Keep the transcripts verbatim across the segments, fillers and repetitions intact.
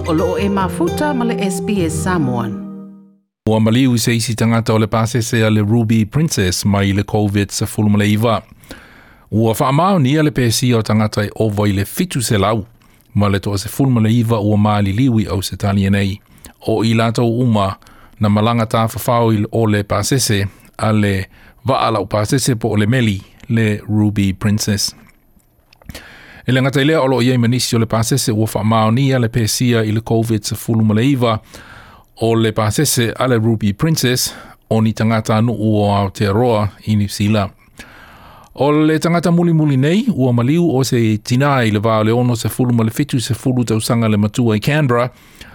O loo e mafuta ma le S B S Samoan. Ua maliu se isi tagata o le pasese a le Ruby Princess mai le COVID nineteen. Ua faamaonia le pesia o tagata e ova i le fitu selau ma le toa sefulu ma le iva ua maliliu i Ausetalia nei. O i latou uma na malaga tafafao i o le pasese a le vaa lau pasese po o le meli le Ruby Princess. E le gata i lea, o loo i ai ma nisi o le pasese ua faamaonia le pesia i le COVID nineteen o le pasese a le Ruby Princess o ni tagata nuu o Aotearoa i Niu Sila. O le tagata mulimuli nei ua maliu o se tina i le va o le ono sefulu ma le fitu sefulu tausaga le matua i Canberra.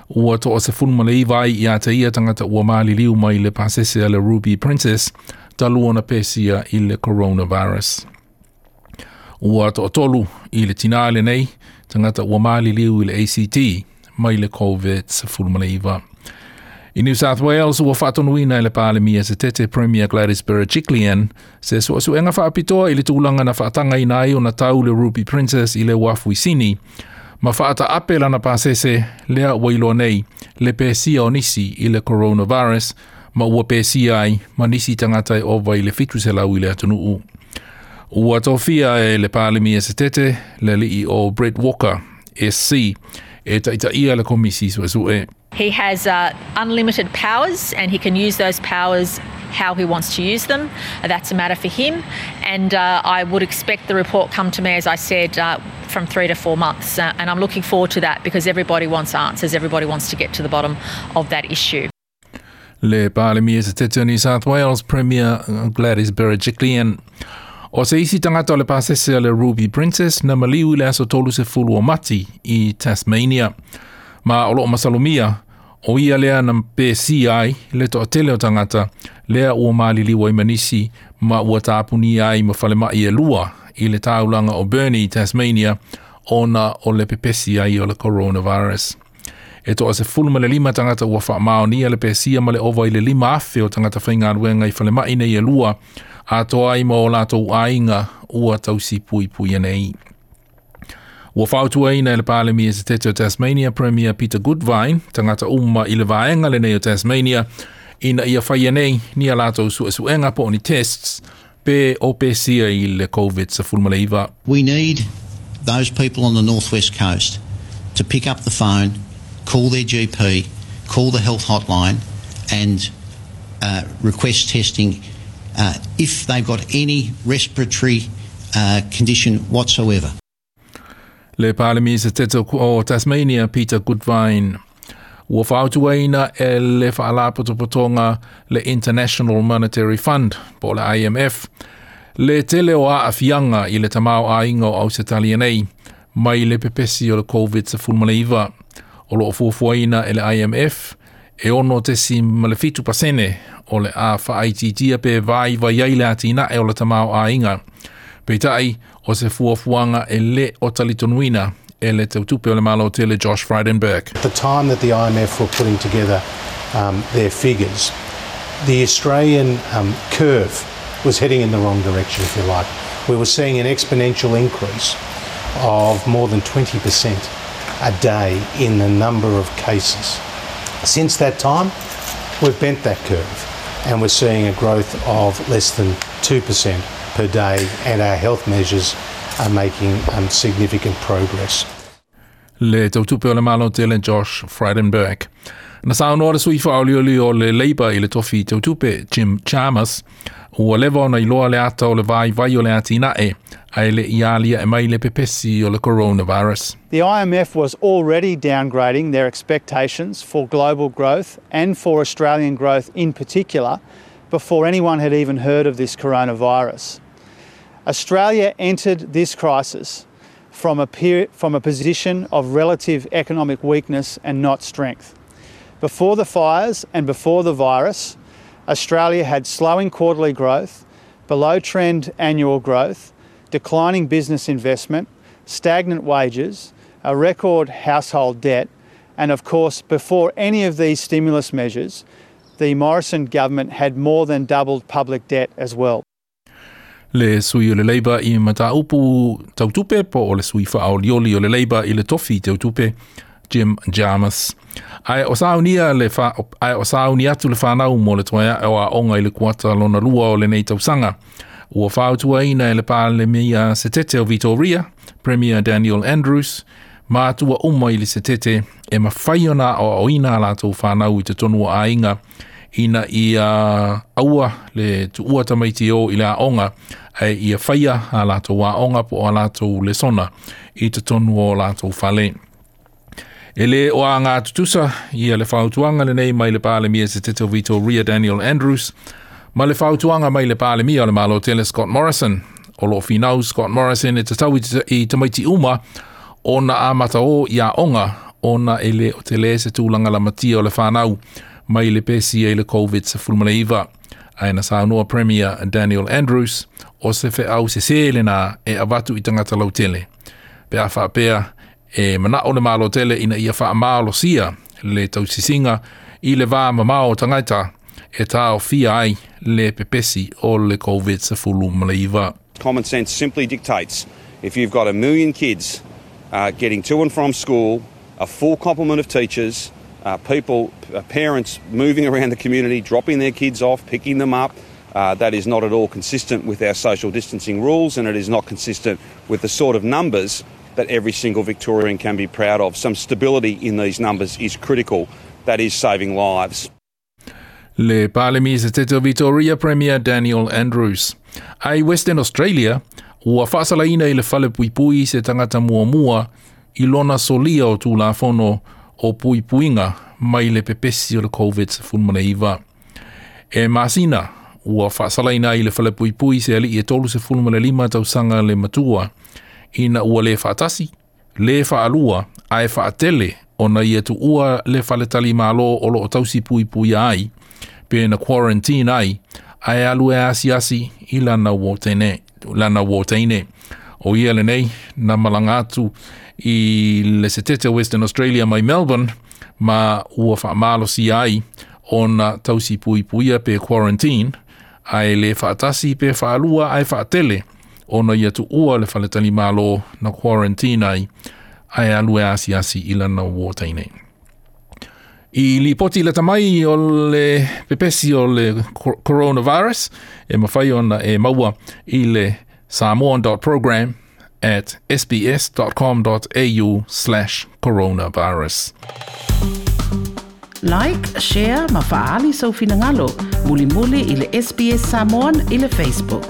Ua toa sefulu ma le iva ai ia te ia tagata ua maliliu mai le pasese a le Ruby Princess talu ona pesia i le coronavirus. Ua toatolu i le tina lenei tagata ua maliliu i le A C T mai le COVID nineteen. I New South Wales, ua faatonuina e le Palemia Setete, Premier Gladys Berejiklian, se suesuega faapitoa i le tulaga na faatagaina ai ona tau le Ruby Princess i le uafu i Sini ma faataape lana pasese lea ua iloa nei le pesia o nisi i le coronavirus ma ua pesia ai ma nisi tagata e ova i le fitu selau i le atunuu. Ua tofia e le Palemia Setete le alii o Brett Walker S C e taitaia le komisi suesue. He has uh, unlimited powers and he can use those powers how he wants to use them. That's a matter for him. And uh, I would expect the report come to me, as I said, uh, from three to four months. Uh, and I'm looking forward to that because everybody wants answers. Everybody wants to get to the bottom of that issue. Le Palemia Setete o New South Wales, Premier Gladys Berejiklian. O se isi tagata o le pasese a le Ruby Princess na maliu i le aso tolu sefulu o Mati i Tasmania. Ma o loo masalomia, o ia lea na pesia ai le toatele o tagata lea ua maliliu ai ma nisi ma ua tapunia ai ma falemai e lua i le taulaga o Burnie, Tasmania, ona o le pepesi ai o le coronavirus. E toa sefulu ma le lima tagata ua faamaonia le pesia ma le ova i le lima afe o tagata faigaluega i falemai nei e lua atoa ai ma o latou aiga ua tausi puipuia nei. Ua fautuaina e le Palemia Setete o Tasmania, Premier Peter Gutwein, tagata uma i le vaega lenei o Tasmania ina ia faia nei ni a latou suesuega po o ni tests pe o pesia i le COVID nineteen. We need those people on the northwest coast to pick up the phone, call their G P, call the health hotline, and uh, request testing uh, if they've got any respiratory uh, condition whatsoever. Le Palemia Setete o Tasmania, Peter Gutwein. Ua fautuaina e le Faalapotopotoga le International Monetary Fund, po le I M F, le tele o aafiaga i le tamaoaiga o Ausetalia nei mai le pepesi o le COVID nineteen. O loo fuafuaina e le I M F e ono tesi ma le fitu pasene o le a faaitiitia pe vaivai ai le atinae o le tamaoaiga. Peitai, o se fuafuaga e le o talitonuina e le tautupe o le Malo tele, Josh Frydenberg. At the time that the I M F were putting together um, their figures, the Australian um, curve was heading in the wrong direction, if you like. We were seeing an exponential increase of more than twenty percent a day in the number of cases. Since that time, we've bent that curve and we're seeing a growth of less than two percent per day, and our health measures are making um, significant progress. Le tautupe o le Malo tele, Josh Frydenberg. Na saunoa le sui faaolioli o le Labour i le tofi tautupe, Jim Chalmers, ua leva ona iloa le ata o le vaivai o le atinae, ae le i alia e mai le pepesi o le coronavirus. The I M F was already downgrading their expectations for global growth and for Australian growth in particular before anyone had even heard of this coronavirus. Australia entered this crisis from a, peri- from a position of relative economic weakness and not strength. Before the fires and before the virus, Australia had slowing quarterly growth, below trend annual growth, declining business investment, stagnant wages, a record household debt, and of course, before any of these stimulus measures, the Morrison government had more than doubled public debt as well. Le sui o le Labour i mataupu tautupe po o le sui faaolioli o le Labour i le tofi tautupe, Jim Jarmus. Ae o saunia le fa, ae o sauni atu le whanau mo le toe ae o aonga i le kuata lona lua o lenei tausaga. Ua fautuaina e le Palemia Setete o Victoria, Premier Daniel Andrews, matua uma i le Setete e mawhai ona o aoina a latou whanau i te tonu o aiga ina ia aua le tuua tamaiti o i le aonga e ia whaia a latou aonga po o a latou lesona i te tonu o latou fale. E le o a ngā tutusa ia le fautuanga lenei mai le Palemia Setete o Victoria Daniel Andrews, ma le fautuanga mai le Palemia o le Malo Tele Scott Morrison. O lo finau Scott Morrison e te tau i tamaiti uma ona a mata o i aonga ona e le o te le se tūlanga la matia o le whanau mai le pesi e le COVID sefulumalaiva. Ae na saunoa Premier Daniel Andrews o se wheau se sele na e avatu i tangata lautele. Pe a whaapea e mana o le malo tele ina ia whaamalosia le tausisiga i le vā mamao tangata e tāo fia ai le pepesi o le COVID sefulumalaiva. Common sense simply dictates if you've got a million kids uh, getting to and from school, a full complement of teachers, uh, people, uh, parents moving around the community, dropping their kids off, picking them up, uh, that is not at all consistent with our social distancing rules, and it is not consistent with the sort of numbers that every single Victorian can be proud of. Some stability in these numbers is critical. That is saving lives. Le Palemia Setete o Victoria Premier Daniel Andrews. Ai Western Australia, ua whaasalaina i le fale puipui se tangata muamua i lona solia o tūlafono o puipuinga mai le pepesi o le COVID sefulumalaiva. E masina, ua whaasalaina i le fale puipui se ali i e tolu sefulumalima tausaga le matua, ina ua le whaatasi, le whaalua, ae whaatele ona ia tuua le faletali malo o lo o tausi puipui ai, pe na quarantine ai, ae alu e asiasi i lana wōteine. Lana wōteine. O ia lenei, na malanga atu i le setete Western Australia mai Melbourne, ma ua whaamalosi ai ona tausi puipuia pe quarantine, ae le whaatasi pe whaalua ae whaatele ona ia tuua le faletali malo na quarantine ai, ae alu e asiasi i lana wōteine. I lipoti le tamai o le pepesi o le coronavirus, e mawhai ona e maua i le samoan dot program at sbs dot com dot A U slash coronavirus. Like, share, ma faali sau finangalo. Mulimuli i le S B S Samoan i le Facebook.